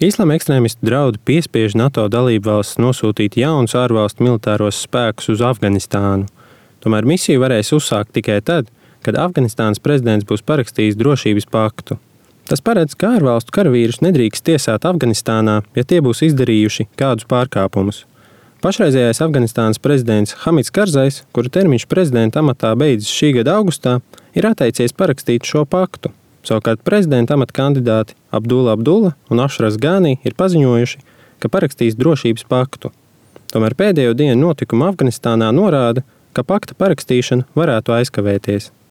Islama ekstrēmisti draudi piespiež NATO dalībvalstis nosūtīt jaunus ārvalstu militāros spēkus uz Afganistānu. Tomēr misiju varēs uzsākt tikai tad, kad Afganistānas prezidents būs parakstījis drošības paktu. Tas paredz, ka ārvalstu karavīrus nedrīkst tiesāt Afganistānā, ja tie būs izdarījuši kādus pārkāpumus. Pašreizējais Afganistānas prezidents Hamids Karzais, kura termiņš prezidenta amatā beidzas šī gada augustā, ir atteicies parakstīt šo paktu. Savukārt prezidenta amata kandidāti Abdula un Ašrafs Gani ir paziņojuši, ka parakstīs drošības paktu. Tomēr pēdējo dienu notikumi Afganistānā norāda, ka pakta parakstīšana varētu aizkavēties.